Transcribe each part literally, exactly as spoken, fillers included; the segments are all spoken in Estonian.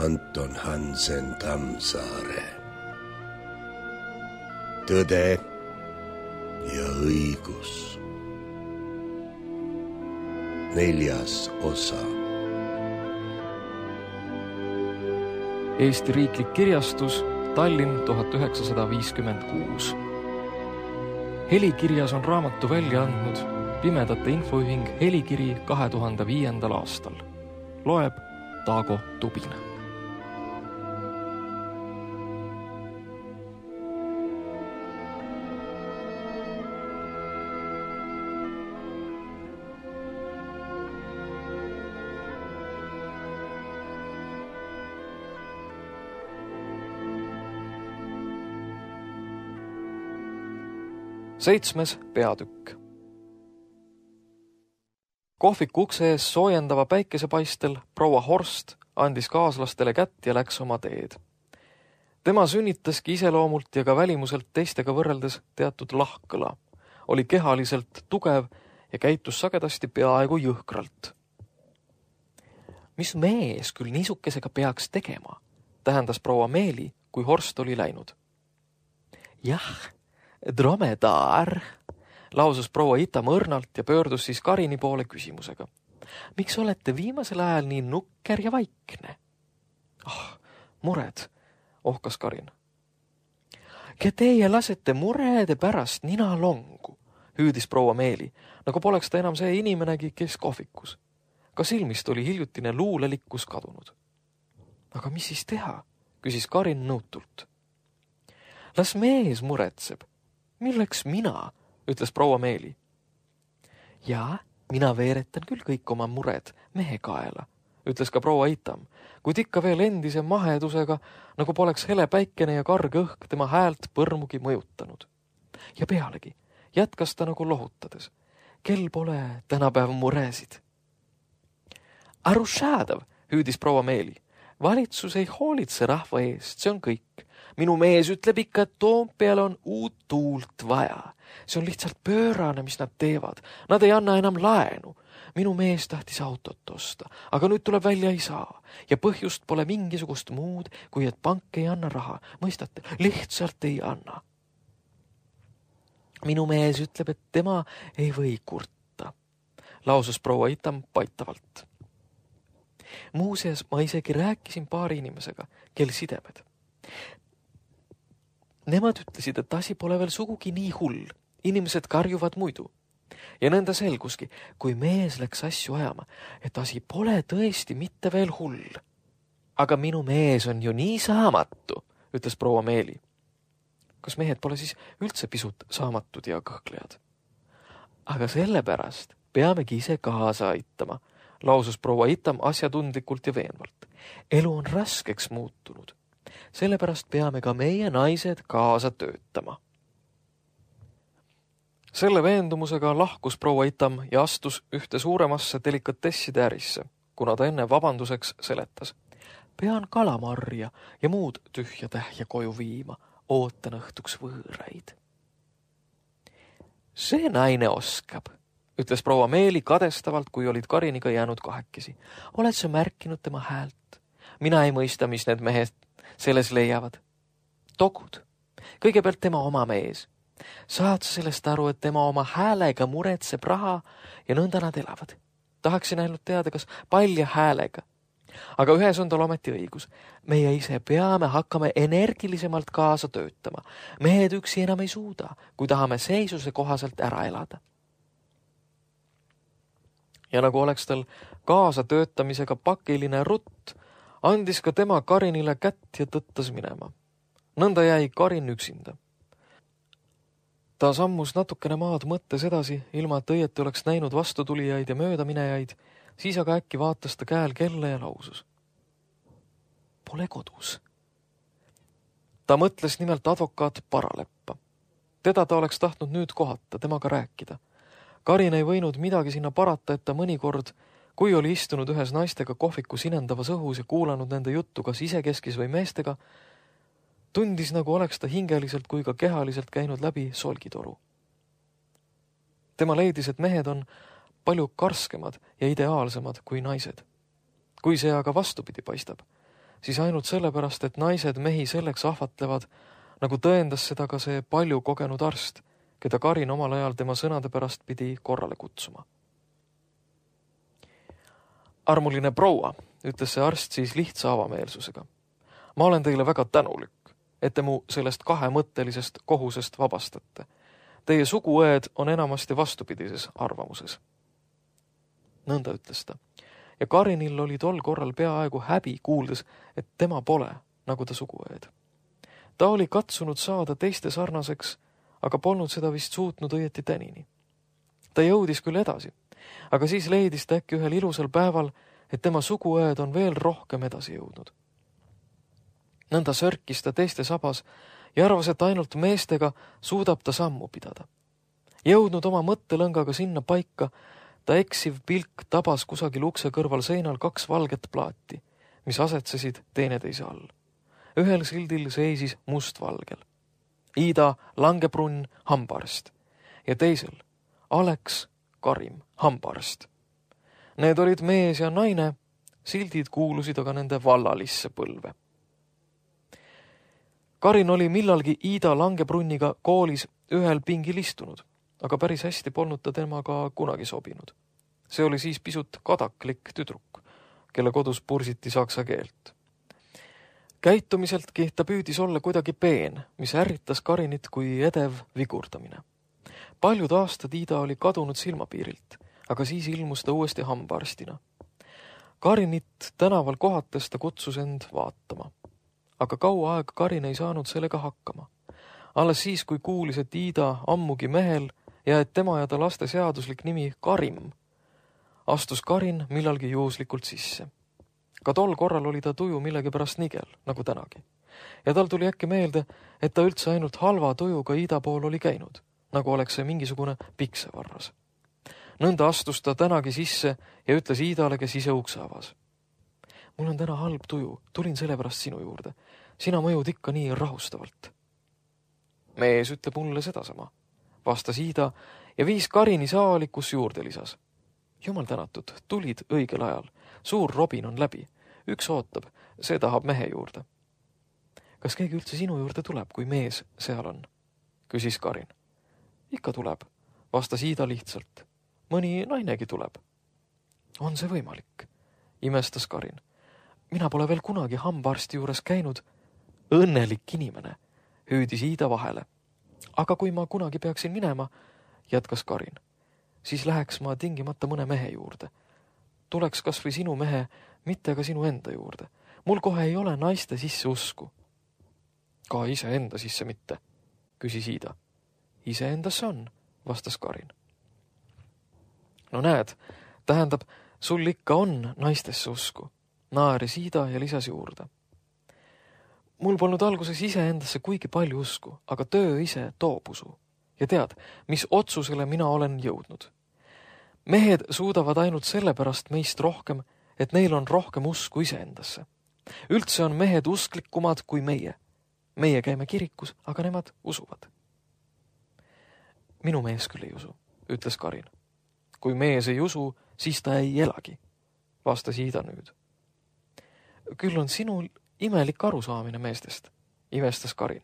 Anton Hansen Tammsaare. Tõde ja õigus. Neljas osa. Eesti Riiklik Kirjastus, Tallinn tuhat üheksasada viiskümmend kuus. Helikirjas on raamatu välja andnud Pimedate Infoühing Helikiri kahe tuhande viiendal aastal. Loeb Taago Tubin. Seitsmes peatükk. Kohviku ukse ees soojendava päikesepaistel proua Horst andis kaaslastele kätt ja läks oma teed. Tema sünnitaski iseloomult ja ka välimuselt teistega võrreldes teatud lahkõla. Oli kehaliselt tugev ja käitus sagedasti peaaegu jõhkralt. Mis mees küll niisukesega peaks tegema, tähendas proua Meeli, kui Horst oli läinud. Jah, dromedaar, lausus proua Itam õrnalt ja pöördus siis Karini poole küsimusega. Miks olete viimasel ajal nii nukker ja vaikne? Ah, mured, ohkas Karin. Ja teie lasete murede pärast nina longu, hüüdis proua Meeli, nagu poleks ta enam see inimenegi, kes kohvikus. Ka silmist oli hiljutine luulelikkus kadunud. Aga mis siis teha, küsis Karin nõutult. Las mees muretseb. Milleks mina, ütles proua Meeli. Jaa, mina veeretan küll kõik oma mured mehe kaela, ütles ka proua Itam, kuid ikka veel endise mahedusega, nagu poleks hele päikene ja karg õhk tema häält põrmugi mõjutanud. Ja pealegi, jätkas ta nagu lohutades. Kel pole tänapäev muresid? Arušaadav, hüüdis proua Meeli. Valitsus ei hoolitse rahva eest, see on kõik. Minu mees ütleb ikka, et Toompeal on uut tuult vaja. See on lihtsalt pöörane, mis nad teevad. Nad ei anna enam laenu. Minu mees tahtis autot osta, aga nüüd tuleb välja ei saa. Ja põhjust pole mingisugust muud, kui et pank ei anna raha. Mõistate, lihtsalt ei anna. Minu mees ütleb, et tema ei või kurta, lausus proua Itam paitavalt. Muuseas, ma isegi rääkisin paari inimesega, kel sidemed. Nemad ütlesid, et asi pole veel sugugi nii hull. Inimesed karjuvad muidu. Ja nõnda selguski, kui mees läks asju ajama, et asi pole tõesti mitte veel hull. Aga minu mees on ju nii saamatu, ütles proua Meeli. Kas mehed pole siis üldse pisut saamatud ja kõhklejad? Aga sellepärast peamegi ise kaasa aitama, lausus proua Itam asjatundlikult ja veenvalt. Elu on raskeks muutunud. Sellepärast peame ka meie naised kaasa töötama. Selle veendumusega lahkus proua Itam ja astus ühte suuremasse delikatesside ärisse, kuna ta enne vabanduseks seletas. Pean kalamarja ja muud tühja tähja koju viima, ootan õhtuks võõraid. See naine oskab, ütles proua Meeli kadestavalt, kui olid Kariniga jäänud kahekesi. Oled sa märkinud tema häält? Mina ei mõista, mis need mehed selles leiavad. Togud. Kõigepealt tema oma mees. Saad sa sellest aru, et tema oma häälega muretseb raha ja nõnda nad elavad. Tahaksin ainult teada, kas palja häälega. Aga ühes on tal ometi õigus. Meie ise peame hakkama energilisemalt kaasa töötama. Mehed üksi enam ei suuda, kui tahame seisuse kohaselt ära elada. Ja nagu oleks tal kaasa töötamisega pakiline rutt, andis ka tema Karinile kätt ja tõttas minema. Nõnda jäi Karin üksinda. Ta sammus natukene maad mõttes edasi, ilma et õieti oleks näinud vastutulijaid ja möödaminejaid, siis aga äkki vaatas ta käel kella ja lausus. Pole kodus. Ta mõtles nimelt advokaat Paraleppa. Teda ta oleks tahtnud nüüd kohata, temaga rääkida. Karin ei võinud midagi sinna parata, et ta mõnikord, kui oli istunud ühes naistega kohviku sinendavas õhus ja kuulanud nende juttu kas isekeskis või meestega, tundis nagu oleks ta hingeliselt kui ka kehaliselt käinud läbi solgitoru. Tema leidis, et mehed on palju karskemad ja ideaalsemad kui naised. Kui see aga vastupidi paistab, siis ainult sellepärast, et naised mehi selleks ahvatlevad, nagu tõendas seda ka see palju kogenud arst, keda Karin omal ajal tema sõnade pärast pidi korrale kutsuma. Armuline proua, ütles see arst siis lihtsa avameelsusega. Ma olen teile väga tänulik, et te mu sellest kahemõttelisest kohusest vabastate. Teie suguõed on enamasti vastupidises arvamuses. Nõnda ütles ta. Ja Karinil oli tol korral peaaegu häbi kuuldes, et tema pole, nagu ta suguõed. Ta oli katsunud saada teiste sarnaseks, aga polnud seda vist suutnud õieti tänini. Ta jõudis küll edasi, aga siis leidis ta äkki ühel ilusal päeval, et tema suguõed on veel rohkem edasi jõudnud. Nõnda sörkis ta teiste sabas ja arvas, et ainult meestega suudab ta sammu pidada. Jõudnud oma mõttelõngaga sinna paika, ta eksiv pilk tabas kusagil ukse kõrval seinal kaks valget plaati, mis asetsesid teineteise all. Ühel sildil seisis mustvalgel Iida Langebrunn hambaarst ja teisel Alex Karim hambaarst. Need olid mees ja naine, sildid kuulusid aga nende vallalisse põlve. Karin oli millalgi Iida Langebrunniga koolis ühel pingil istunud, aga päris hästi polnud ta temaga kunagi sobinud. See oli siis pisut kadaklik tüdruk, kelle kodus pursiti saksa keelt. Käitumiseltki ta püüdis olla kuidagi peen, mis ärritas Karinit kui edev vigurdamine. Paljud aastad Iida oli kadunud silmapiirilt, aga siis ilmus ta uuesti hambaarstina. Karinit tänaval kohates ta kutsus end vaatama. Aga kaua aega Karin ei saanud sellega hakkama. Alles siis, kui kuulis, et Iida ammugi mehel ja et tema ja ta laste seaduslik nimi Karim, astus Karin millalgi juhuslikult sisse. Ka tol korral oli ta tuju millegi pärast nigel, nagu tänagi. Ja tal tuli äkki meelde, et ta üldse ainult halva tujuga Iida pool oli käinud, nagu oleks see mingisugune piksevarras. Nõnda astus ta tänagi sisse ja ütles Iidale, kes ise ukse avas. Mul on täna halb tuju, tulin sellepärast sinu juurde. Sina mõjud ikka nii rahustavalt. Mees ütleb mulle sedasama, vastas Iida ja viis Karini saali, kus juurde lisas. Jumal tänatud, tulid õigel ajal. Suur robin on läbi. Üks ootab, see tahab mehe juurde. Kas keegi üldse sinu juurde tuleb, kui mees seal on? Küsis Karin. Ikka tuleb, vastas Iida lihtsalt. Mõni nainegi tuleb. On see võimalik? Imestas Karin. Mina pole veel kunagi hambaarsti juures käinud. Õnnelik inimene, hüüdis Iida vahele. Aga kui ma kunagi peaksin minema, jätkas Karin, siis läheks ma tingimata mõne mehe juurde. Tuleks kas või sinu mehe, mitte ka sinu enda juurde. Mul kohe ei ole naiste sisse usku. Ka ise enda sisse mitte, küsis Iida. Ise endasse on, vastas Karin. No näed, tähendab, sul ikka on naistesse usku. Naeris Iida ja lisas juurde. Mul polnud alguses ise endasse kuigi palju usku, aga töö ise toob usu. Ja tead, mis otsusele mina olen jõudnud. Mehed suudavad ainult sellepärast meist rohkem, et neil on rohkem usku iseendasse. Üldse on mehed usklikumad kui meie. Meie käime kirikus, aga nemad usuvad. Minu mees küll ei usu, ütles Karin. Kui mees ei usu, siis ta ei elagi, vastas Iida nüüd. Küll on sinul imelik arusaamine meestest, imestas Karin.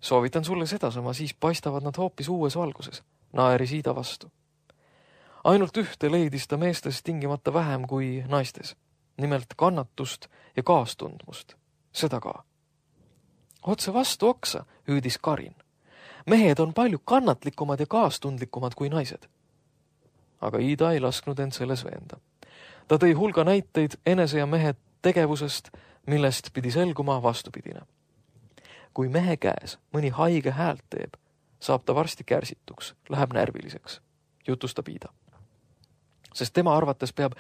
Soovitan sulle sedasama, siis paistavad nad hoopis uues valguses, naeris Iida vastu. Ainult ühte leidis ta meestes tingimata vähem kui naistes, nimelt kannatust ja kaastundmust, seda ka. Otse vastu oksa, hüüdis Karin. Mehed on palju kannatlikumad ja kaastundlikumad kui naised. Aga Iida ei lasknud end selles veenda. Ta tõi hulga näiteid enese ja mehe tegevusest, millest pidi selguma vastupidine. Kui mehe käes mõni haige häält teeb, saab ta varsti kärsituks, läheb närviliseks, jutustab Iida. Sest tema arvates peab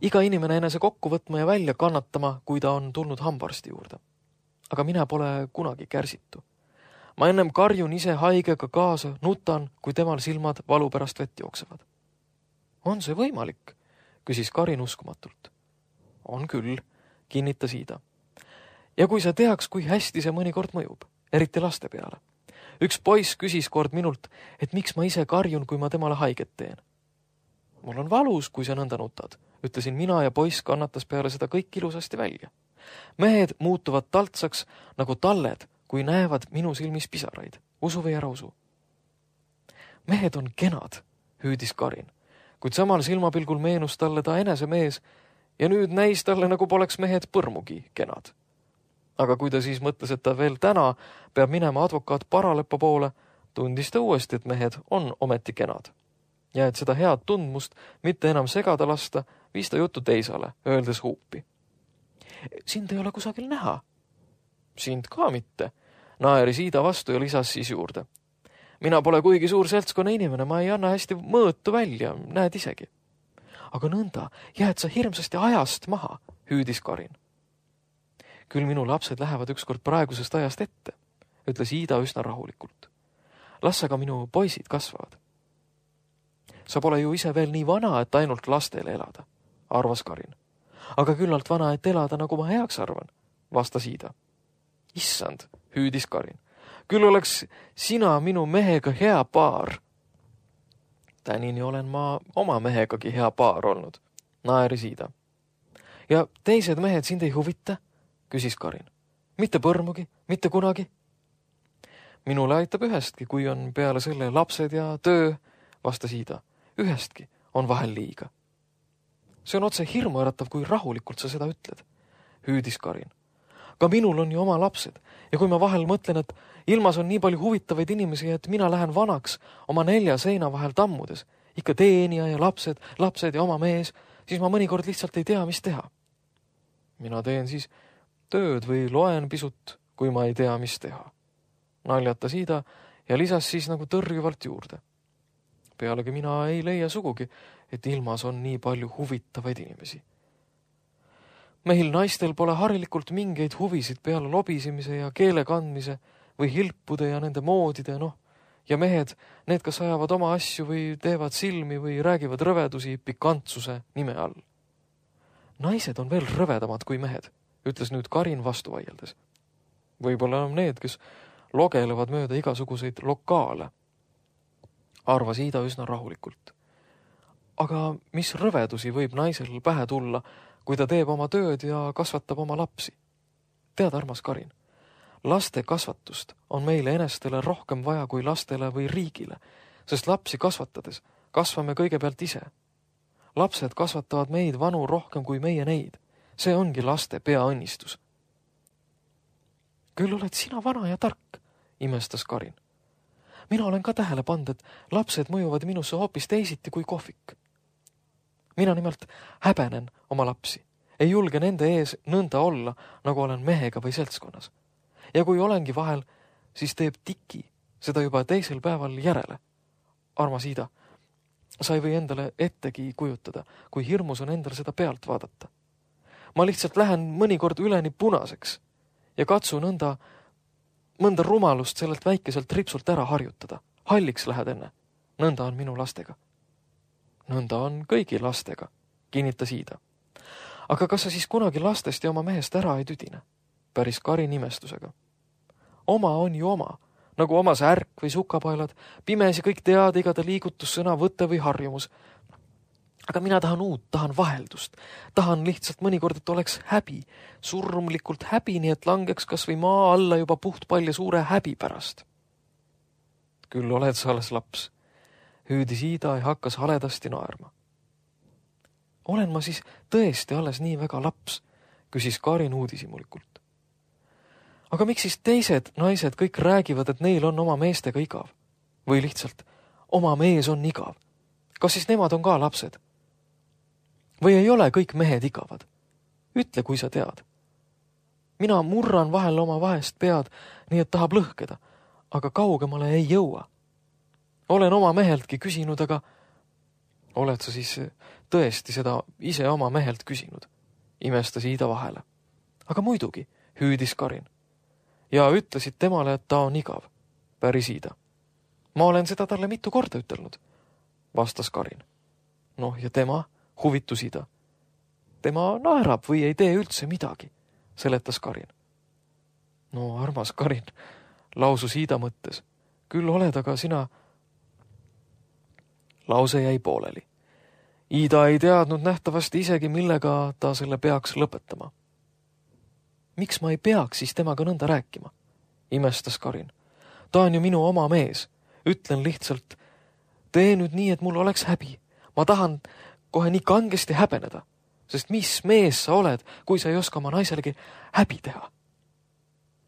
iga inimene enese kokku võtma ja välja kannatama, kui ta on tulnud hambaarsti juurde. Aga mina pole kunagi kärsitu. Ma ennem karjun ise haigega kaasa, nutan, kui temal silmad valu pärast vett jooksevad. On see võimalik? Küsis Karin uskumatult. On küll, kinnitas Iida. Ja kui sa teaks, kui hästi see mõnikord mõjub, eriti laste peale. Üks poiss küsis kord minult, et miks ma ise karjun, kui ma temale haiget teen. Mul on valus, kui sa nõnda nutad, ütlesin mina ja poiss kannatas peale seda kõik ilusasti välja. Mehed muutuvad taltsaks nagu talled, kui näevad minu silmis pisaraid. Usu või ära usu. Mehed on kenad, hüüdis Karin, kuid samal silmapilgul meenus talle ta enese mees ja nüüd näis talle, nagu poleks mehed põrmugi kenad. Aga kui ta siis mõtles, et ta veel täna peab minema advokaat Paraleppa poole, tundis ta uuesti, et mehed on ometi kenad. Ja et seda head tundmust mitte enam segada lasta, viis ta jutu teisale, öeldes huupi. Sind ei ole kusagil näha. Sind ka mitte. Naeris Iida vastu ja lisas siis juurde. Mina pole kuigi suur seltskonna inimene, ma ei anna hästi mõõtu välja, näed isegi. Aga nõnda, jääd sa hirmsasti ajast maha, hüüdis Karin. Küll minu lapsed lähevad ükskord praegusest ajast ette, ütles Iida üsna rahulikult. Las aga minu poisid kasvavad. Sa pole ju ise veel nii vana, et ainult lastele elada, arvas Karin. Aga küllalt vana, et elada, nagu ma heaks arvan, vastas Iida. Issand, hüüdis Karin. Küll oleks sina minu mehega hea paar. Tänini olen ma oma mehegagi hea paar olnud, naeris Iida. Ja teised mehed sind ei huvita, küsis Karin. Mitte põrmugi, mitte kunagi. Minule aitab ühestki, kui on peale selle lapsed ja töö, vastas Iida. Ühestki on vahel liiga. See on otse hirmuäratav, kui rahulikult sa seda ütled, hüüdis Karin. Ka minul on ju oma lapsed ja kui ma vahel mõtlen, et ilmas on nii palju huvitavaid inimesi, et mina lähen vanaks oma nelja seina vahel tammudes, ikka teenija ja lapsed, lapsed ja oma mees, siis ma mõnikord lihtsalt ei tea, mis teha. Mina teen siis tööd või loen pisut, kui ma ei tea, mis teha. Naljatas Iida ja lisas siis nagu tõrjuvalt juurde. Pealegi mina ei leia sugugi, et ilmas on nii palju huvitavaid inimesi. Meil naistel pole harilikult mingeid huvisid peale lobisimise ja keele kandmise või hilpude ja nende moodide, noh, ja mehed, need kas ajavad oma asju või teevad silmi või räägivad rõvedusi pikantsuse nime all. Naised on veel rõvedamad kui mehed, ütles nüüd Karin vastu vaieldes. Võib-olla on need, kes logelevad mööda igasuguseid lokaale, arvas Iida üsna rahulikult. Aga mis rõvedusi võib naisel pähe tulla, kui ta teeb oma tööd ja kasvatab oma lapsi? Tead, armas Karin, laste kasvatust on meile enestele rohkem vaja kui lastele või riigile, sest lapsi kasvatades kasvame kõigepealt ise. Lapsed kasvatavad meid vanu rohkem kui meie neid. See ongi laste peaõnnistus. Küll oled sina vana ja tark, imestas Karin. Mina olen ka tähele pannud, et lapsed mõjuvad minusse hoopis teisiti kui kohvik. Mina nimelt häbenen oma lapsi. Ei julge nende ees nõnda olla, nagu olen mehega või seltskonnas. Ja kui olengi vahel, siis teeb tiki seda juba teisel päeval järele. Armas Iida, sa ei või endale ettegi kujutada, kui hirmus on endal seda pealt vaadata. Ma lihtsalt lähen mõnikord üleni punaseks ja katsu nõnda mõnda rumalust sellelt väikeselt ripsult ära harjutada. Halliks lähed enne. Nõnda on minu lastega. Nõnda on kõigi lastega, kinnitas Iida. Aga kas sa siis kunagi lastest ja oma mehest ära ei tüdine? Päris Karin imestusega. Oma on ju oma, nagu oma särk või sukapaelad, pimesi kõik tead igada liigutussõna, võte või harjumus. Aga mina tahan uut, tahan vaheldust. Tahan lihtsalt mõnikord, et oleks häbi, surmlikult häbi, nii et langeks kas või maa alla juba puht palju suure häbi pärast. Küll oled sa alles laps, hüüdis Iida ja hakkas haledasti naerma. Olen ma siis tõesti alles nii väga laps, küsis Karin uudisimulikult. Aga miks siis teised naised kõik räägivad, et neil on oma meestega igav? Või lihtsalt, oma mees on igav? Kas siis nemad on ka lapsed? Või ei ole kõik mehed igavad? Ütle, kui sa tead. Mina murran vahel oma vahest pead, nii et tahab lõhkeda, aga kaugemale ei jõua. Olen oma meheltki küsinud, aga oled sa siis tõesti seda ise oma mehelt küsinud? Imestas Iida vahele. Aga muidugi, hüüdis Karin. Ja ütlesid temale, et ta on igav, päris Iida. Ma olen seda talle mitu korda ütelnud, vastas Karin. Noh, ja tema, huvitus Iida. Tema naerab või ei tee üldse midagi, seletas Karin. No armas Karin, lausus Iida mõttes. Küll oled, aga sina... Lause jäi pooleli. Iida ei teadnud nähtavasti isegi, millega ta selle peaks lõpetama. miks ma ei peaks siis temaga nõnda rääkima? Imestas Karin. Ta on ju minu oma mees. Ütlen lihtsalt, tee nüüd nii, et mul oleks häbi. Ma tahan kohe nii kangesti häbeneda, sest mis mees sa oled, kui sa ei oska oma naiselegi häbi teha?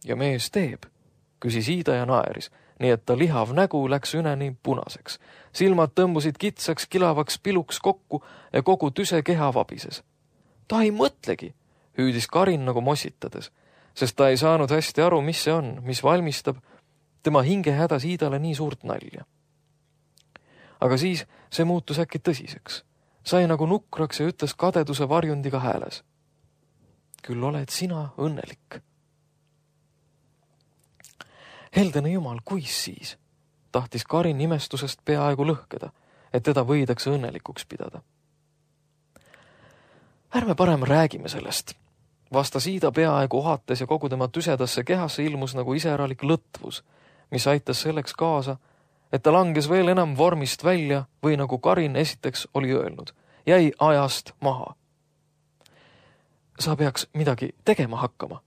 Ja mees teeb, küsis Iida ja naeris, nii et ta lihav nägu läks üneni punaseks. Silmad tõmbusid kitsaks, kilavaks piluks kokku ja kogu tüse keha vabises. Ta ei mõtlegi, hüüdis Karin nagu mossitades, sest ta ei saanud hästi aru, mis see on, mis valmistab tema hinge hädas Iidale nii suurt nalja. Aga siis see muutus äkki tõsiseks. Sai nagu nukraks ja ütles kadeduse varjundiga hääles. Küll oled sina õnnelik. Heldene jumal, kuis siis? Tahtis Karin imestusest peaaegu lõhkeda, et teda võidakse õnnelikuks pidada. Ärme parem räägime sellest. Vastas Iida peaaegu ohates ja kogu tema tüsedasse kehasse ilmus nagu iseralik lõtvus, mis aitas selleks kaasa, et ta langes veel enam vormist välja või nagu Karin esiteks oli öelnud, jäi ajast maha. Sa peaks midagi tegema hakkama,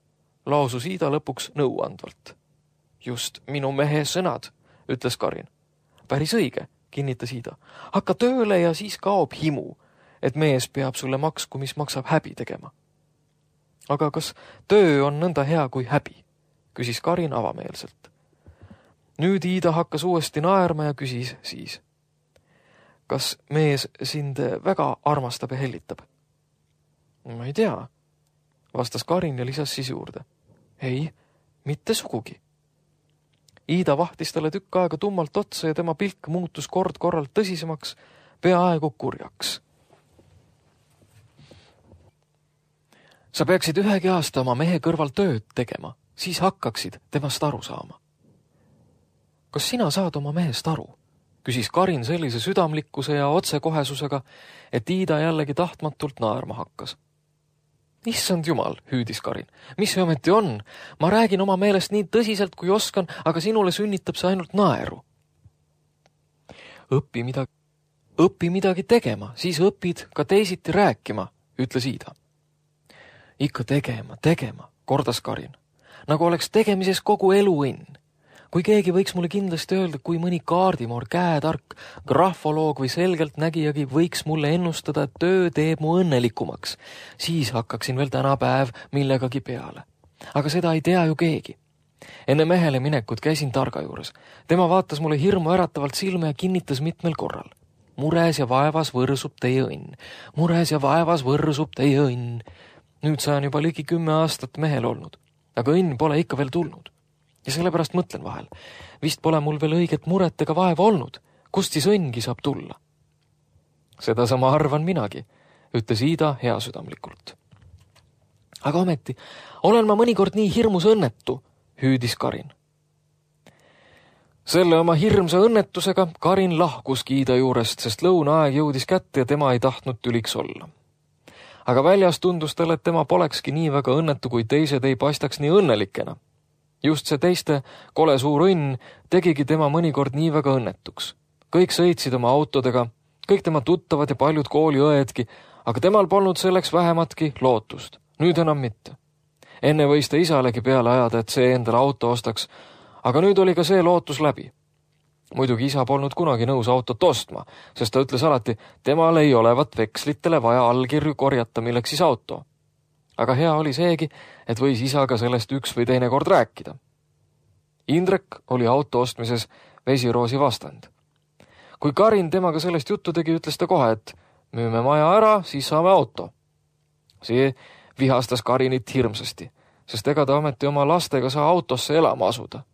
lausus Iida lõpuks nõuandvalt. Just minu mehe sõnad, ütles Karin. Päris õige, kinnitas Iida. Hakka tööle ja siis kaob himu, et mees peab sulle maksku, mis maksab häbi tegema. Aga kas töö on nõnda hea kui häbi? Küsis Karin avameelselt. Nüüd Iida hakkas uuesti naerma ja küsis siis. Kas mees sind väga armastab ja hellitab? Ma ei tea, vastas Karin ja lisas siis juurde. Ei, mitte sugugi. Iida vahtis talle tükk aega tummalt otsa ja tema pilk muutus kord korralt tõsisemaks, peaaegu kurjaks. Sa peaksid ühegi aasta oma mehe kõrval tööd tegema, siis hakkaksid temast aru saama. Kas sina saad oma mehest aru? Küsis Karin sellise südamlikkuse ja otsekohesusega, et Iida jällegi tahtmatult naerma hakkas. Issand jumal, hüüdis Karin. Mis see ometi on? Ma räägin oma meelest nii tõsiselt, kui oskan, aga sinule sünnitab see ainult naeru. Õpi midagi, õpi midagi tegema, siis õpid ka teisiti rääkima, ütles Iida. Ikka tegema, tegema, kordas Karin. Nagu oleks tegemises kogu elu õnn. Kui keegi võiks mulle kindlasti öelda, kui mõni kaardimoor, käetark, grafoloog või selgelt nägijagi võiks mulle ennustada, et töö teeb mu õnnelikumaks, siis hakkaksin veel tänapäev millegagi peale. Aga seda ei tea ju keegi. Enne mehele minekut käisin targa juures. Tema vaatas mulle hirmu äratavalt silma ja kinnitas mitmel korral. Mures ja vaevas võrsub teie õnn. Mures ja vaevas võrsub teie õnn. Nüüd saan juba ligi kümme aastat mehel olnud, aga õnn pole ikka veel tulnud. Ja sellepärast mõtlen vahel, vist pole mul veel õiget muret ega vaeva olnud, kust siis õnngi saab tulla. Seda sama arvan minagi, ütles Iida heasüdamlikult. Aga ometi, olen ma mõnikord nii hirmus õnnetu, hüüdis Karin. Selle oma hirmsa õnnetusega Karin lahkuski Iida juurest, sest lõunaaeg jõudis kätte ja tema ei tahtnud tüliks olla. Aga väljas tundus talle, et tema polekski nii väga õnnetu, kui teised ei paistaks nii õnnelikena. Just see teiste kole suur õnn tegigi tema mõnikord nii väga õnnetuks. Kõik sõitsid oma autodega, kõik tema tuttavad ja paljud kooliõedki, aga temal polnud selleks vähematki lootust. Nüüd enam mitte. Enne võis ta isalegi peale ajada, et see endale auto ostaks, aga nüüd oli ka see lootus läbi. Muidugi isa polnud kunagi nõus autot ostma, sest ta ütles alati, temal ei olevat vekslitele vaja allkirju korjata, milleks siis auto. Aga hea oli seegi, et võis isaga sellest üks või teine kord rääkida. Indrek oli auto ostmises vesiroosi vastand. Kui Karin temaga sellest juttu tegi, ütles ta kohe, et müüme maja ära, siis saame auto. See vihastas Karinit hirmsasti, sest ega ta ometi oma lastega saa autosse elama asuda.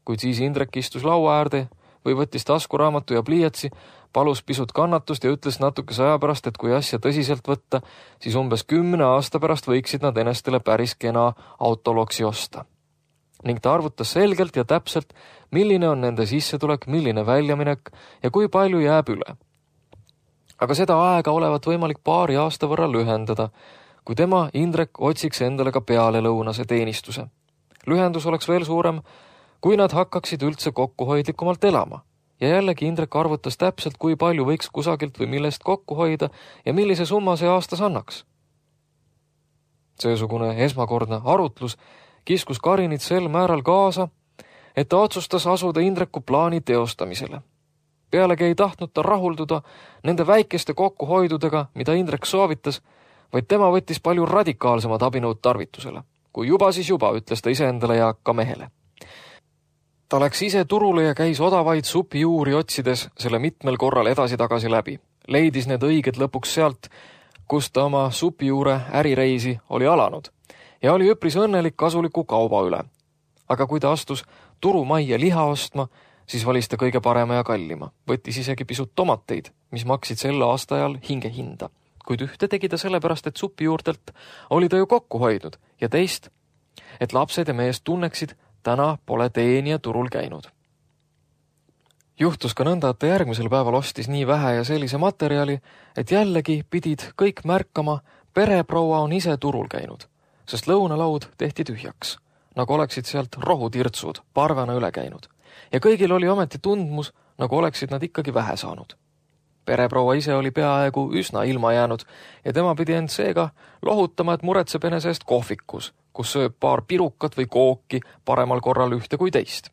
Kuid siis Indrek istus laua äärde või võttis taskuraamatu ja pliiatsi, palus pisut kannatust ja ütles natukese aja pärast, et kui asja tõsiselt võtta, siis umbes kümne aasta pärast võiksid nad enestele päris kena autoloksi osta. Ning ta arvutas selgelt ja täpselt, milline on nende sissetulek, milline väljaminek ja kui palju jääb üle. Aga seda aega olevat võimalik paari aasta võrra lühendada, kui tema, Indrek, otsiks endale ka peale lõunase teenistuse. Lühendus oleks veel suurem, kui nad hakkaksid üldse kokkuhoidlikumalt elama. Ja jällegi Indrek arvutas täpselt, kui palju võiks kusagilt või millest kokku hoida ja millise summa see aastas annaks. Seesugune esmakordne arutlus kiskus Karinit sel määral kaasa, et ta otsustas asuda Indreku plaani teostamisele. Pealegi ei tahtnud ta rahulduda nende väikeste kokkuhoidudega, mida Indrek soovitas, vaid tema võttis palju radikaalsemad abinõud tarvitusele. Kui juba, siis juba, ütles ta iseendale ja ka mehele. Ta läks ise turule ja käis odavaid supijuuri otsides selle mitmel korral edasi-tagasi läbi. Leidis need õiged lõpuks sealt, kus ta oma supijuure ärireisi oli alanud ja oli üpris õnnelik kasuliku kauba üle. Aga kui ta astus turumajja liha ostma, siis valis ta kõige parema ja kallima. Võttis isegi pisut tomateid, mis maksid selle aasta ajal hinge hinda. Kuid ühte tegi ta sellepärast, et supijuurtelt oli ta ju kokku hoidnud ja teist, et lapsed ja mees tunneksid, täna pole teenija turul käinud. Juhtus ka nõnda, et ta järgmisel päeval ostis nii vähe ja sellise materjali, et jällegi pidid kõik märkama, pereproua on ise turul käinud, sest lõunalaud tehti tühjaks, nagu oleksid sealt rohutirtsud parvena üle käinud. Ja kõigil oli ometi tundmus, nagu oleksid nad ikkagi vähe saanud. Pereproua ise oli peaaegu üsna ilma jäänud ja tema pidi end seega lohutama, et muretseb enese eest kohvikus, kus sööb paar pirukat või kooki paremal korral ühte kui teist.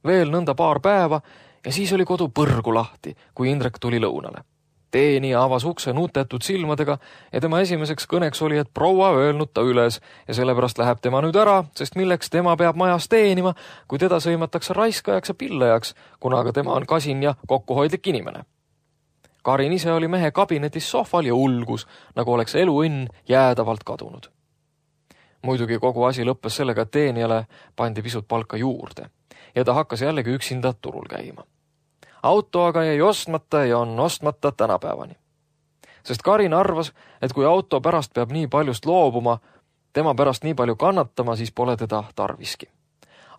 Veel nõnda paar päeva ja siis oli kodu põrgu lahti, kui Indrek tuli lõunale. Teenija avas ukse nutetud silmadega ja tema esimeseks kõneks oli, et proua öelnud ta üles ja sellepärast läheb tema nüüd ära, sest milleks tema peab majas teenima, kui teda sõimatakse raiskajaks ja pillajaks, kuna aga tema on kasin ja kokkuhoidlik inimene. Karin ise oli mehe kabinetis sohval ja ulgus, nagu oleks eluõnn jäädavalt kadunud. Muidugi kogu asi lõppes sellega, et teenijale pandi pisut palka juurde ja ta hakkas jällegi üksinda turul käima. Auto aga jäi ostmata ja on ostmata tänapäevani. Sest Karin arvas, et kui auto pärast peab nii paljust loobuma, tema pärast nii palju kannatama, siis pole teda tarviski.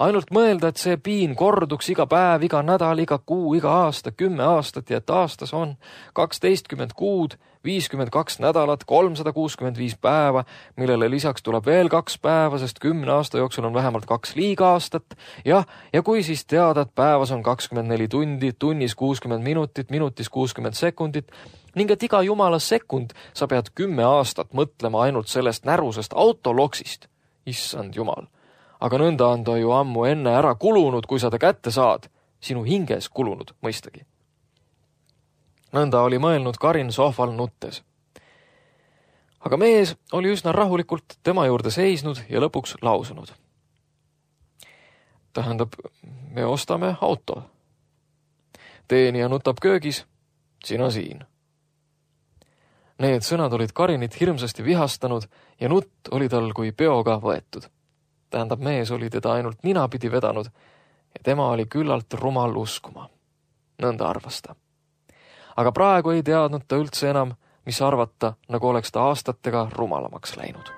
Ainult mõelda, et see piin korduks iga päev, iga nädal, iga kuu, iga aasta, kümme aastat ja et aastas on kaksteistkümmend kuud, viiskümmend kaks nädalat, kolmsada kuuskümmend viis päeva, millele lisaks tuleb veel kaks päeva, sest kümne aasta jooksul on vähemalt kaks liiga aastat. Ja, ja kui siis teada, et päevas on kakskümmend neli tundi, tunnis kuuskümmend minutit, minutis kuuskümmend sekundit, ning et iga jumala sekund sa pead kümme aastat mõtlema ainult sellest närusest autoloksist. Issand jumal. Aga nõnda on ta ju ammu enne ära kulunud, kui sa ta kätte saad. Sinu hinges kulunud, mõistagi. Nõnda oli mõelnud Karin sohval nuttes. Aga mees oli üsna rahulikult tema juurde seisnud ja lõpuks lausunud. Tähendab, me ostame auto. Teenija nutab köögis, sina siin. Need sõnad olid Karinit hirmsasti vihastanud ja nutt oli tal kui peoga võetud. Tähendab, mees oli teda ainult ninapidi vedanud ja tema oli küllalt rumal uskuma. Nõnda arvas ta. Aga praegu ei teadnud ta üldse enam, mis arvata, nagu oleks ta aastatega rumalamaks läinud.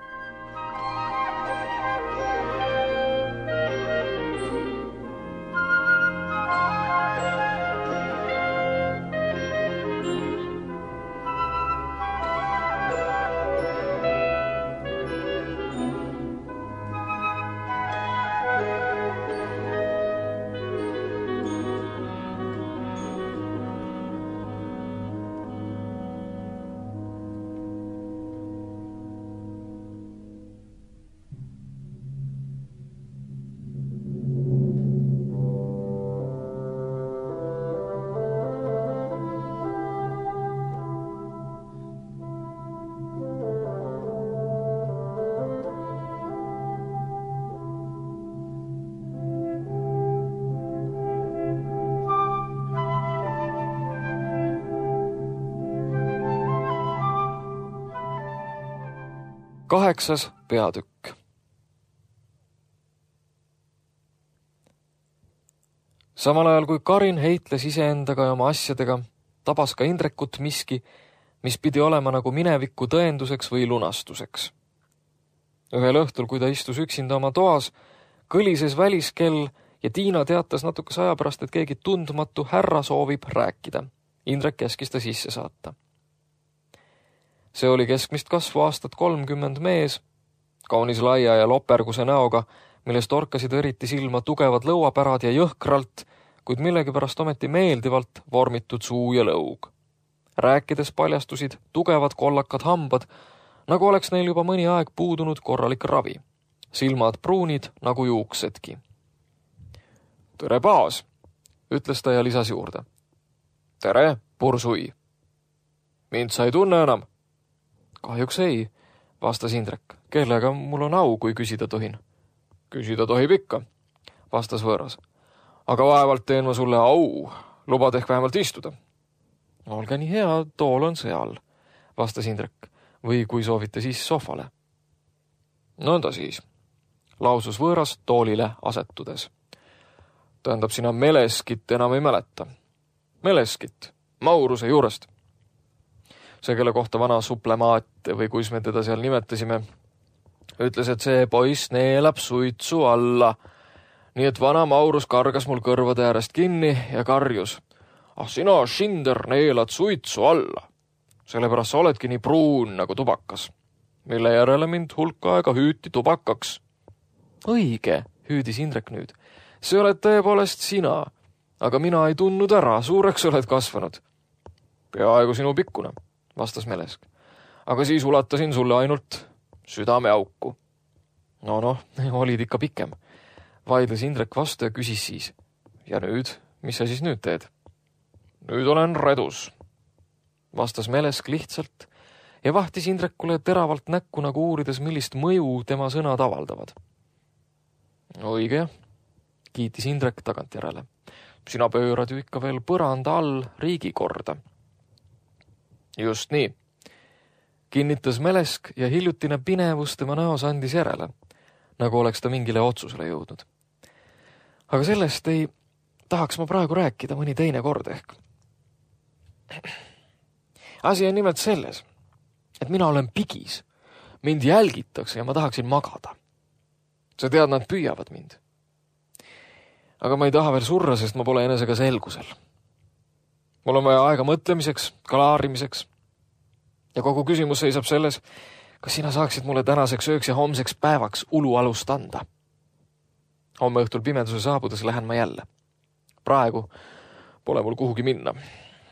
Kaheksas peatükk. Samal ajal kui Karin heitles iseendaga ja oma asjadega, tabas ka Indrekut miski, mis pidi olema nagu mineviku tõenduseks või lunastuseks. Ühel õhtul, kui ta istus üksinda oma toas, kõlises väliskell ja Tiina teatas natukese aja pärast, et keegi tundmatu härra soovib rääkida. Indrek käskis ta sisse saata. See oli keskmist kasvu aastat kolmkümmend mees, kaunis laia ja loperguse näoga, millest orkasid eriti silma tugevad lõuapärad ja jõhkralt, kuid millegipärast ometi meeldivalt vormitud suu ja lõug. Rääkides paljastusid tugevad kollakad hambad, nagu oleks neil juba mõni aeg puudunud korralik ravi. Silmad pruunid nagu juuksedki. Tere, Paas, ütles ta ja lisas juurde. Tere, Pursui. Mind sa ei tunne enam? Kahjuks ei, vastas Indrek. Kellega mul on au, kui küsida tohin? Küsida tohib ikka, vastas võõras. Aga vaevalt teen ma sulle au, lubad ehk vähemalt istuda. Olge nii hea, tool on seal, vastas Indrek. Või kui soovite, siis sohvale. Nõnda siis, lausus võõras toolile asetudes. Tähendab, sina Meleskit enam ei mäleta. Meleskit, Mauruse juurest. See, kelle kohta vana suplemaat või kuis me teda seal nimetasime, ütles, et see poiss neelab suitsu alla. Nii et vana Maurus kargas mul kõrvade äärest kinni ja karjus. Ah, sina, Schinder, neelad suitsu alla. Sellepärast sa oledki nii pruun nagu tubakas, mille järele mind hulk aega hüüti tubakaks. Õige, hüüdis Indrek nüüd. See oled tõepoolest sina, aga mina ei tundnud ära, suureks oled kasvanud. Peaaegu sinu pikkune, vastas Melesk. Aga siis ulatasin sulle ainult südame auku. No noh, olid ikka pikem. Vaidles Indrek vastu ja küsis siis. Ja nüüd, mis sa siis nüüd teed? Nüüd olen redus, vastas Melesk lihtsalt ja vahtis Indrekule teravalt näkku nagu uurides, millist mõju tema sõnad avaldavad. Õige, kiitis Indrek tagantjärele. Sina pöörad ju ikka veel põranda all riigikorda. Just nii, kinnitas Melesk ja hiljutine pinevus tema näos andis järele, nagu oleks ta mingile otsusele jõudnud. Aga sellest ei tahaks ma praegu rääkida mõni teine kord ehk. Asi on nimelt selles, et mina olen pigis, mind jälgitakse ja ma tahaksin magada. Sa tead, nad püüavad mind. Aga ma ei taha veel surra, sest ma pole enesega selgusel. Mul on vaja aega mõtlemiseks, kalaarimiseks. Ja kogu küsimus seisab selles, kas sina saaksid mulle tänaseks ööks ja homseks päevaks ulualust anda. Homme õhtul pimeduse saabudes lähen ma jälle. Praegu pole mul kuhugi minna.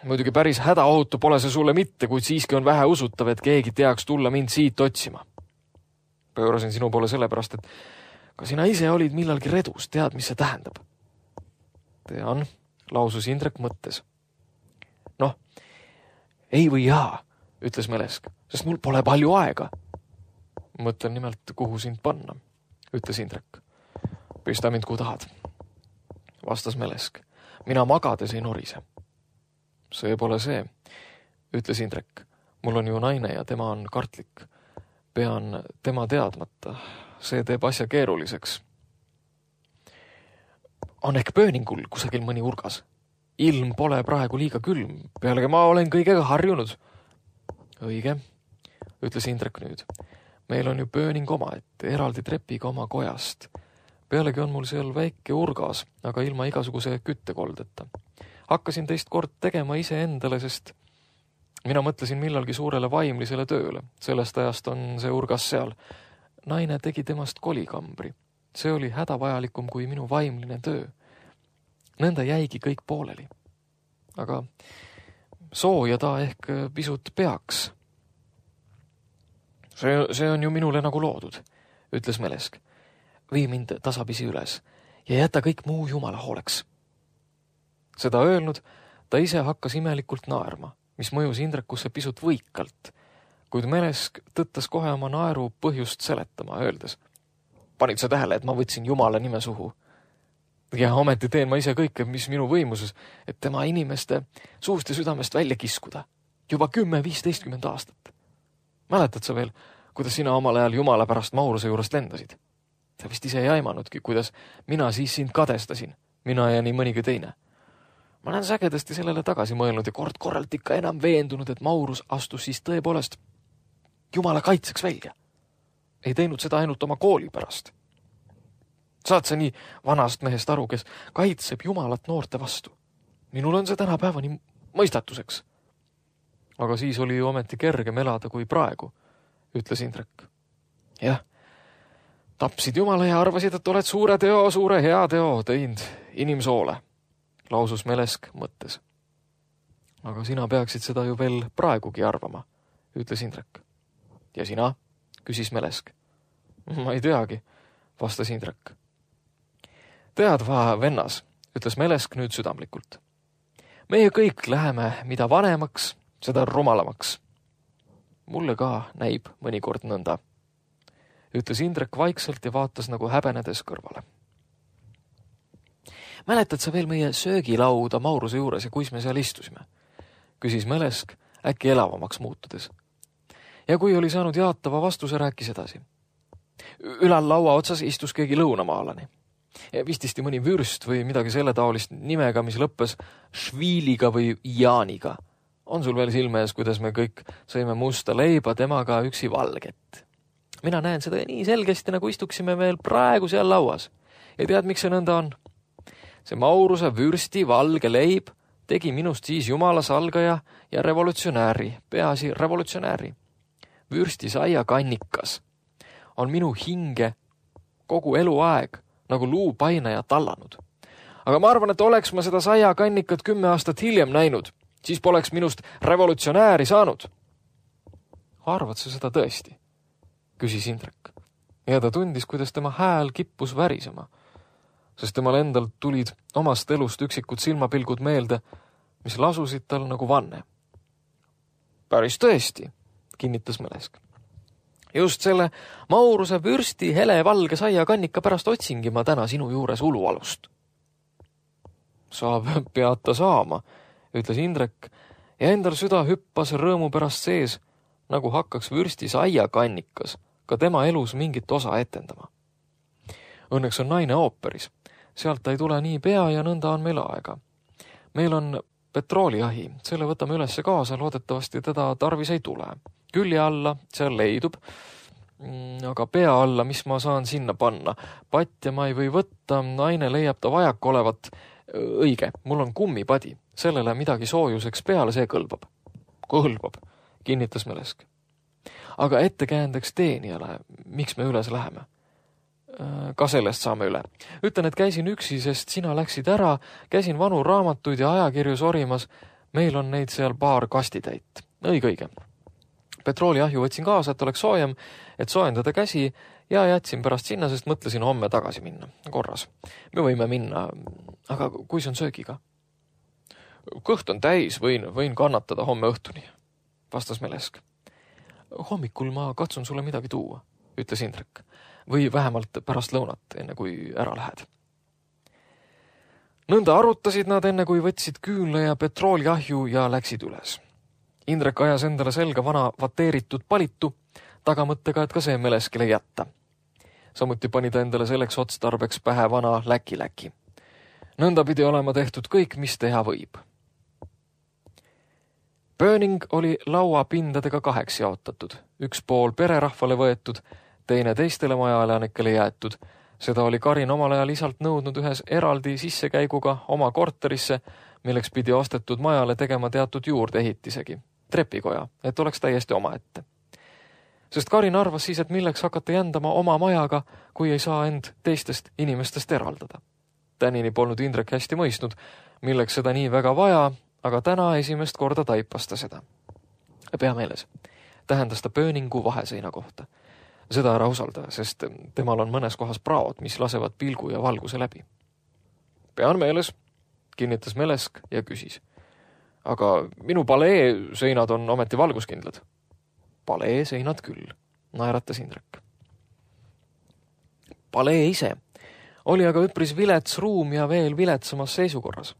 Muidugi päris hädaohutu pole see sulle mitte, kuid siiski on vähe usutav, et keegi teaks tulla mind siit otsima. Pöörasin sinu poole sellepärast, et ka sina ise olid millalgi redus, tead, mis see tähendab. Tean, lausus Indrek mõttes. Noh, ei või jaa, ütles Melesk, sest mul pole palju aega. Mõtlen nimelt, kuhu sind panna, ütles Indrek. Pista mind, kuhu tahad, vastas Melesk. Mina magades ei norise. See pole see, ütles Indrek. Mul on ju naine ja tema on kartlik. Pean tema teadmata. See teeb asja keeruliseks. On ehk pööningul kusagil mõni urgas. Ilm pole praegu liiga külm. Pealegi ma olen kõigega harjunud. Õige, ütles Indrek nüüd. Meil on ju pööning oma, et eraldi trepiga oma kojast. Pealegi on mul seal väike urgas, aga ilma igasuguse küttekoldeta. Hakkasin teist kord tegema ise endale, sest mina mõtlesin millalgi suurele vaimlisele tööle. Sellest ajast on see urgas seal. Naine tegi temast kolikambri. See oli hädavajalikum kui minu vaimline töö. Nõnda jäigi kõik pooleli. Aga sooja ta ehk pisut peaks. See, see on ju minule nagu loodud, ütles Melesk. Vii mind tasapisi üles ja jäta kõik muu jumala hooleks. Seda öelnud, ta ise hakkas imelikult naerma, mis mõjus Indrekusse pisut võikalt, kuid Melesk tõttas kohe oma naeru põhjust seletama, öeldes. Panid sa tähele, et ma võtsin jumala nime suhu? Ja ometi teen ma ise kõike, mis minu võimuses, et tema inimeste suust ja südamest välja kiskuda. Juba kümme viisteistkümmend aastat. Mäletad sa veel, kuidas sina omal ajal jumala pärast Mauruse juurest lendasid? Sa vist ise ei aimanudki, kuidas mina siis sind kadestasin, mina ja nii mõnigi teine. Ma olen sagedasti sellele tagasi mõelnud ja kord korralt ikka enam veendunud, et Maurus astus siis tõepoolest jumala kaitseks välja. Ei teinud seda ainult oma kooli pärast. Saad sa nii vanast mehest aru, kes kaitseb jumalat noorte vastu? Minul on see tänapäevani mõistatuseks. Aga siis oli ju ometi kergem elada kui praegu, ütles Indrek. Jah, tapsid jumala ja arvasid, et oled suure teo, suure hea teo teinud inimsoole, lausus Melesk mõttes. Aga sina peaksid seda ju veel praegugi arvama, ütles Indrek. Ja sina? Küsis Melesk. Ma ei teagi, vastas Indrek. Tead va, vennas, ütles Melesk nüüd südamlikult. Meie kõik läheme mida vanemaks, seda rumalamaks. Mulle ka näib mõnikord nõnda, ütles Indrek vaikselt ja vaatas nagu häbenedes kõrvale. Mäletad sa veel meie söögilauda Mauruse juures ja kuis me seal istusime? Küsis Melesk äkki elavamaks muutudes. Ja kui oli saanud jaatava vastuse, rääkis edasi. Ülal laua otsas istus keegi lõunamaalani. Vististi mõni vürst või midagi selle taolist nimega, mis lõppes Šviiliga või Jaaniga. On sul veel silme ees, kuidas me kõik sõime musta leiba, temaga üksi valget. Mina näen seda nii selgesti, nagu istuksime veel praegu seal lauas. Ja tead, miks see nõnda on? See Mauruse vürsti valge leib tegi minust siis jumala salgaja ja revolutsionääri, peaasi revolutsionääri. Vürsti saia kannikas on minu hinge kogu eluaeg nagu luupainaja tallanud. Aga ma arvan, et oleks ma seda saia kannikat kümme aastat hiljem näinud, siis poleks minust revolutsionääri saanud. Arvad sa seda tõesti? Küsis Indrek. Ja ta tundis, kuidas tema hääl kippus värisema, sest temal endal tulid omast elust üksikud silmapilgud meelde, mis lasusid tal nagu vanne. Päris tõesti, kinnitas Melesk. Just selle Mauruse vürsti hele valge saia kannika pärast otsingi ma täna sinu juures ulualust. Saab peata saama, ütles Indrek ja endal süda hüppas rõõmu pärast sees, nagu hakkaks vürsti saia kannikas ka tema elus mingit osa etendama. Õnneks on naine ooperis. Sealt ta ei tule nii pea ja nõnda on meil aega. Meil on petrooliahi, selle võtame ülesse kaasa, loodetavasti teda tarvis ei tule. Külje alla, seal leidub, aga pea alla, mis ma saan sinna panna. Patja ma ei või võtta, naine leiab ta vajak olevat. Õige, mul on kummipadi, sellele midagi soojuseks peale, see kõlbab. Kõlbab, kinnitas Melesk. Aga ettekäändeks teenijale, miks me üles läheme? Ka sellest saame üle. Ütlen, et käisin üksi, sest sina läksid ära, käisin vanu raamatuid ja ajakirju sorimas. Meil on neid seal paar kastitäit. Õige, õige. Petrooliahju võtsin kaasa, et oleks soojem, et soojendada käsi ja jätsin pärast sinna, sest mõtlesin homme tagasi minna. Korras. Me võime minna, aga kui see on söögiga? Kõht on täis, võin, võin kannatada homme õhtuni, vastas Melesk. Hommikul ma katsun sulle midagi tuua, ütles Indrek. Või vähemalt pärast lõunat, enne kui ära lähed. Nõnda arutasid nad enne, kui võtsid küünle ja petrooliahju ja läksid üles. Indrek ajas endale selga vana vateeritud palitu, tagamõttega, et ka see Meleskile jätta. Samuti pani ta endale selleks otstarbeks pähe vana läki-läki. Nõnda pidi olema tehtud kõik, mis teha võib. Pööning oli laua pindadega kaheks jaotatud, üks pool pererahvale võetud, teine teistele majaelanikele jäetud. Seda oli Karin omal ajal isalt nõudnud ühes eraldi sissekäiguga oma korterisse, milleks pidi ostetud majale tegema teatud juurdeehitisegi, trepikoja, et oleks täiesti oma ette. Sest Karin arvas siis, et milleks hakata jändama oma majaga, kui ei saa end teistest inimestest eraldada. Tänini polnud Indrek hästi mõistnud, milleks seda nii väga vaja, aga täna esimest korda taipas ta seda. Pea meeles, tähendas ta pööningu vaheseina kohta. Seda ära usalda, sest temal on mõnes kohas praod, mis lasevad pilgu ja valguse läbi. Pean meeles, kinnitas Melesk ja küsis. Aga minu palee seinad on ometi valguskindlad. Palee seinad küll, naeratas Indrek. Palee ise oli aga üpris vilets ruum ja veel viletsamas seisukorras.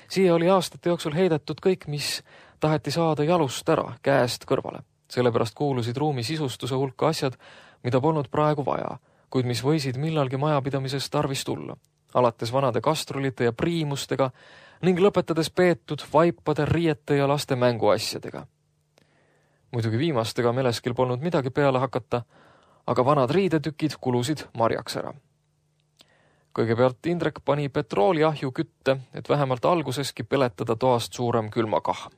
Siia oli aastate jooksul heidetud kõik, mis taheti saada jalust ära, käest kõrvale. Sellepärast kuulusid ruumi sisustuse hulka asjad, mida polnud praegu vaja, kuid mis võisid millalgi majapidamises tarvis tulla, alates vanade kastrulite ja priimustega ning lõpetades peetud vaipade, riiete ja laste mänguasjadega. Muidugi viimastega Meleskil polnud midagi peale hakata, aga vanad riidetükid kulusid marjaks ära. Kõigepealt Indrek pani petrooliahju kütte, et vähemalt alguseski peletada toast suurem külmakahm.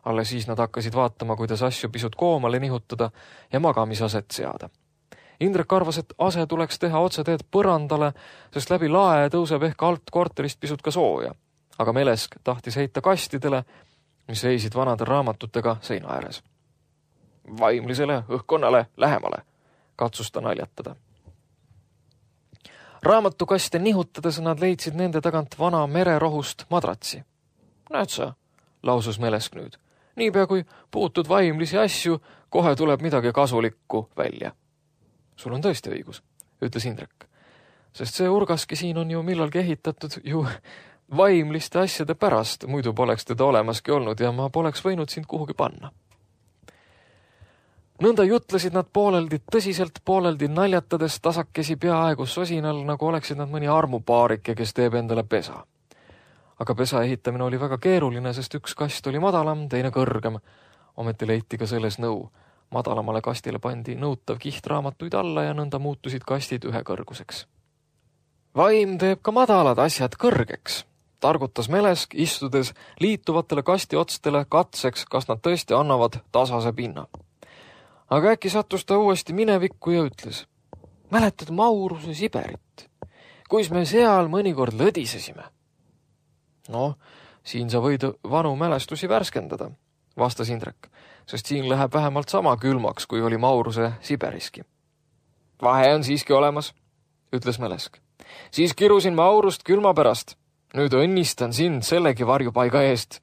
Alle siis nad hakkasid vaatama, kuidas asju pisut koomale nihutada ja magamisaset seada. Indrek arvas, et ase tuleks teha otseteed põrandale, sest läbi lae tõuseb ehk alt korterist pisut ka sooja. Aga Melesk tahtis heita kastidele, mis seisid vanade raamatutega seina ääres. vaimlisele õhkkonnale lähemale, katsus ta naljatada. Raamatukaste nihutades nad leidsid nende tagant vana mererohust madratsi. Näed sa, lausus Melesk nüüd. Niipea kui puutud vaimlisi asju, kohe tuleb midagi kasulikku välja. Sul on tõesti õigus, ütles Indrek. Sest see urgaski siin on ju millalgi ehitatud ju vaimliste asjade pärast, muidu poleks teda olemaski olnud ja ma poleks võinud sind kuhugi panna. Nõnda jutlesid nad pooleldi tõsiselt, pooleldi naljatades tasakesi peaaegu sosinal, nagu oleksid nad mõni armupaarike, kes teeb endale pesa. Aga pesa ehitamine oli väga keeruline, sest üks kast oli madalam, teine kõrgem. Ometi leiti ka selles nõu. Madalamale kastile pandi nõutav kiht raamatuid alla ja nõnda muutusid kastid ühe kõrguseks. Vaim teeb ka madalad asjad kõrgeks, targutas Melesk, istudes liituvatele kasti otstele katseks, kas nad tõesti annavad tasase pinna. Aga äkki sattus ta uuesti minevikku ja ütles, mäletad Mauruse Siberit, kuis me seal mõnikord lõdisesime? No, siin sa võid vanu mälestusi värskendada, vastas Indrek, sest siin läheb vähemalt sama külmaks, kui oli Mauruse Siberiski. Vahe on siiski olemas, ütles Melesk. Siis kirusin Maurust külma pärast. Nüüd õnnistan sind sellegi varjupaiga eest.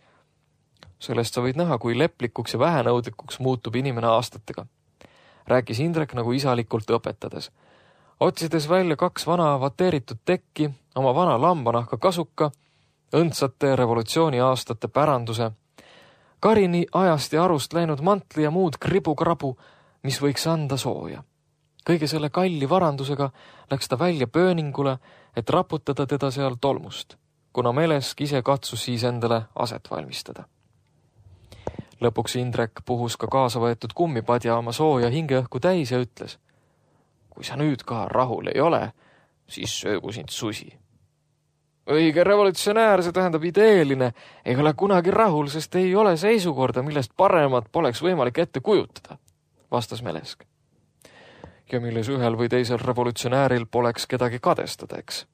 Sellest sa võid näha, kui leplikuks ja vähenõudlikuks muutub inimene aastatega. Rääkis Indrek nagu isalikult õpetades. Otsides välja kaks vana vateeritud tekki, oma vana lambanahka kasuka, õndsate revolutsiooni aastate päranduse, karini ajast ja arust läinud mantli ja muud kribu-krabu, mis võiks anda sooja. Kõige selle kalli varandusega läks ta välja pööningule, et raputada teda seal tolmust, kuna Melesk ise katsus siis endale aset valmistada. Lõpuks Indrek puhus ka kaasa võetud kummipadja oma sooja hingeõhku täis ja ütles, kui sa nüüd ka rahul ei ole, siis söögu sind susi. Õige revolutsionäär, see tähendab ideeline, ei ole kunagi rahul, sest ei ole seisukorda, millest paremat poleks võimalik ette kujutada, vastas Melesk. Ja milles ühel või teisel revolutsionääril poleks kedagi kadestada, eks?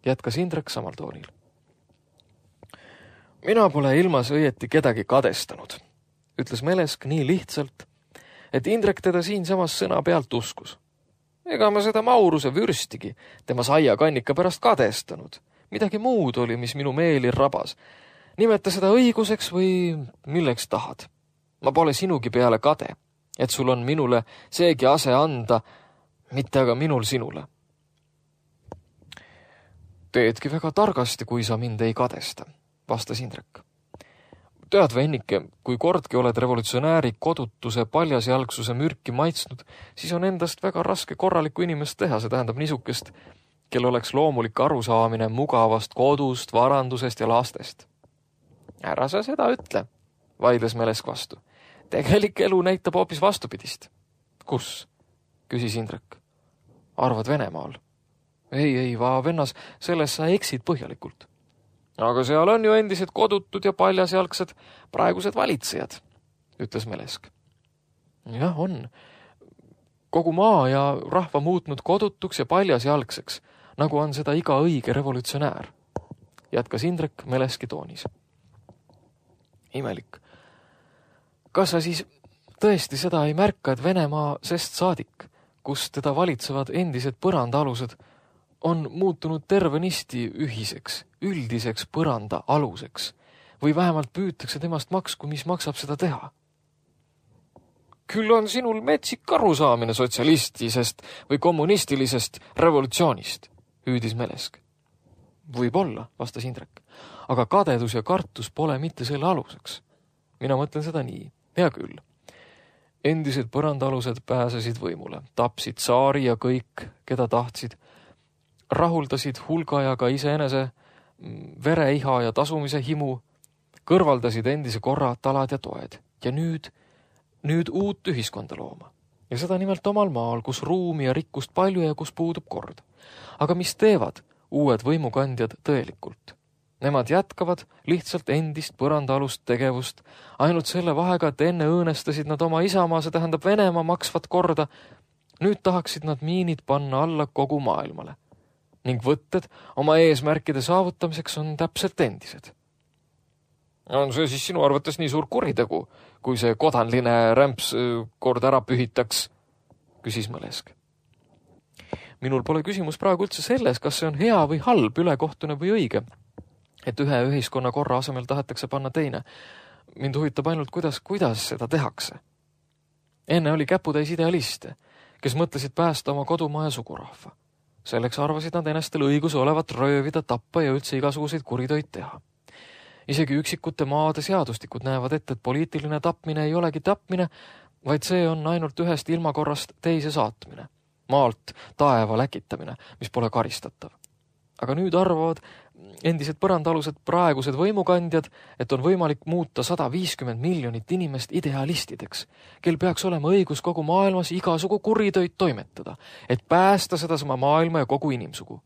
Jätkas Indrek samal toonil. Mina pole ilmas õieti kedagi kadestanud, ütles Melesk nii lihtsalt, et Indrek teda siinsamas sõna pealt uskus. Ega ma seda Mauruse vürstigi tema saia kannika pärast kadestanud. Midagi muud oli, mis minu meeli rabas. Nimeta seda õiguseks või milleks tahad. Ma pole sinugi peale kade, et sul on minule seegi ase anda, mitte aga minul sinule. Teedki väga targasti, kui sa mind ei kadesta, vastas Indrek. Tead, vennike, kui kordki oled revolutsionääri kodutuse paljasjalgsuse mürki maitsnud, siis on endast väga raske korralikku inimest teha, see tähendab niisukest, kel oleks loomulik arusaamine mugavast kodust, varandusest ja lastest. Ära sa seda ütle, vaidles Melesk vastu. Tegelik elu näitab hoopis vastupidist. Kus? Küsis Indrek. Arvad Venemaal? Ei, ei, va vennas, selles sa eksid põhjalikult. Aga seal on ju endised kodutud ja paljasjalgsed praegused valitsejad, ütles Melesk. Jah, on. Kogu maa ja rahva muutnud kodutuks ja paljasjalgseks, nagu on seda iga õige revolutsionäär, jätkas Indrek Meleski toonis. Imelik. Kas sa siis tõesti seda ei märka, et Venemaa sest saadik, kus teda valitsevad endised põrandaalused, on muutunud tervenisti ühiseks, üldiseks põranda aluseks või vähemalt püütakse temast maksku, mis maksab seda teha? Küll on sinul metsik arusaamine sotsialistisest või kommunistilisest revolutsioonist, hüüdis Melesk. Võib-olla, vastas Indrek, aga kadedus ja kartus pole mitte selle aluseks. Mina mõtlen seda nii, hea küll. Endised põrandaalused pääsesid võimule, tapsid saari ja kõik, keda tahtsid, rahuldasid hulga ja ka iseenese vereiha ja tasumise himu, kõrvaldasid endise korra talad ja toed ja nüüd, nüüd uut ühiskonda looma. Ja seda nimelt omal maal, kus ruumi ja rikkust palju ja kus puudub kord. Aga mis teevad uued võimukandjad tõelikult? Nemad jätkavad lihtsalt endist põrandaalust tegevust, ainult selle vahega, et enne õõnestasid nad oma isamaa, see tähendab Venemaa maksvat korda, nüüd tahaksid nad miinid panna alla kogu maailmale. Ning võtted oma eesmärkide saavutamiseks on täpselt endised. On see siis sinu arvates nii suur kuritegu, kui see kodanline rämps kord ära pühitaks, küsis Mõlesk. Minul pole küsimus praegu üldse selles, kas see on hea või halb, ülekohtune või õige, et ühe ühiskonna korra asemel tahetakse panna teine. Mind huvitab ainult, kuidas, kuidas seda tehakse. Enne oli käputäis idealiste, kes mõtlesid päästa oma kodumaa ja sugurahva. Selleks arvasid nad enestel õiguse olevat röövida, tappa ja üldse igasuguseid kuritöid teha. Isegi üksikute maade seadustikud näevad ette, et poliitiline tapmine ei olegi tapmine, vaid see on ainult ühest ilmakorrast teise saatmine. Maalt taeva läkitamine, mis pole karistatav. Aga nüüd arvavad endised põrandalused praegused võimukandjad, et on võimalik muuta sada viiskümmend miljonit inimest idealistideks, kel peaks olema õigus kogu maailmas igasugu kuritöid toimetada, et päästa sedasama maailma ja kogu inimsugu.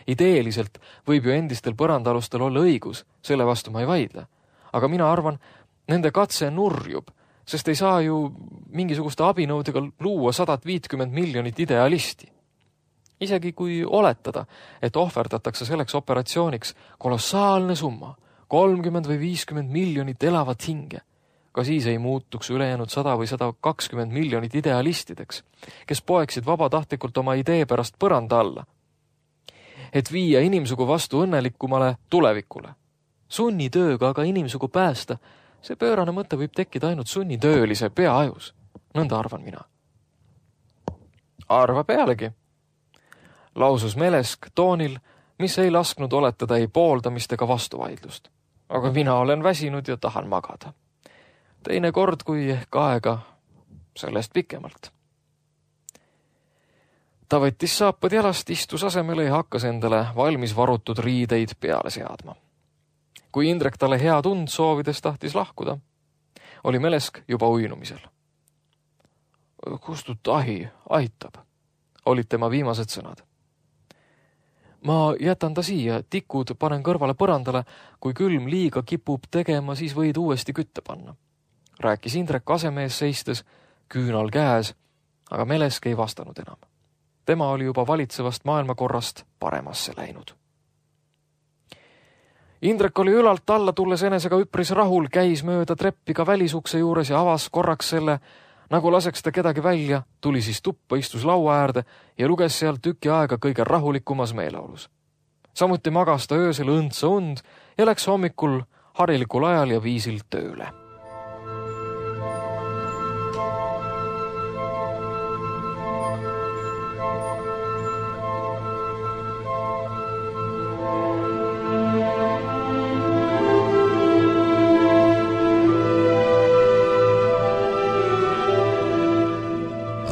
Ideeliselt võib ju endistel põrandalustel olla õigus, selle vastu ma ei vaidle. Aga mina arvan, nende katse nurjub, sest ei saa ju mingisuguste abinõudega luua sadat viitkümmend miljonit idealisti. Isegi kui oletada, et ohverdatakse selleks operatsiooniks kolossaalne summa, kolmkümmend või viiskümmend miljonit elavat hinge, ka siis ei muutuks ülejäänud sada või sada kakskümmend miljonit idealistideks, kes poeksid vabatahtlikult oma idee pärast põranda alla, et viia inimsugu vastu õnnelikumale tulevikule. Sunnitööga aga inimsugu päästa, see pöörane mõte võib tekkida ainult sunnitöölise peaajus. Nõnda arvan mina. Arva pealegi, lausus Mõlesk toonil, mis ei lasknud oletada ei pooldamist ega vastuvaidlust. Aga mina olen väsinud ja tahan magada. Teine kord, kui ehk aega sellest pikemalt. Ta võttis saapad jalast, istus asemele ja hakkas endale valmis varutud riideid peale seadma. Kui Indrek talle hea tund soovides tahtis lahkuda, oli Mõlesk juba uinumisel. Kustut ahi, aitab, olid tema viimased sõnad. Ma jätan ta siia, tikud panen kõrvale põrandale, kui külm liiga kipub tegema, siis võid uuesti kütte panna. Rääkis Indrek asemees seistes, küünal käes, aga Mõlesk ei vastanud enam. Tema oli juba valitsevast maailmakorrast paremasse läinud. Indrek oli ülalt alla tulles enesega üpris rahul, käis mööda treppiga välisukse juures ja avas korraks selle, nagu laseks ta kedagi välja, tuli siis tuppa, istus laua äärde ja luges seal tüki aega kõige rahulikumas meeleolus. Samuti magas ta öösel õndsa und ja läks hommikul harilikul ajal ja viisil tööle.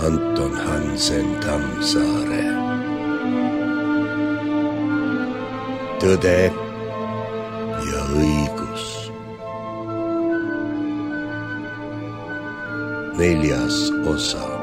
Anton Hansen Tammsaare. Tõde ja õigus. Neljas osa.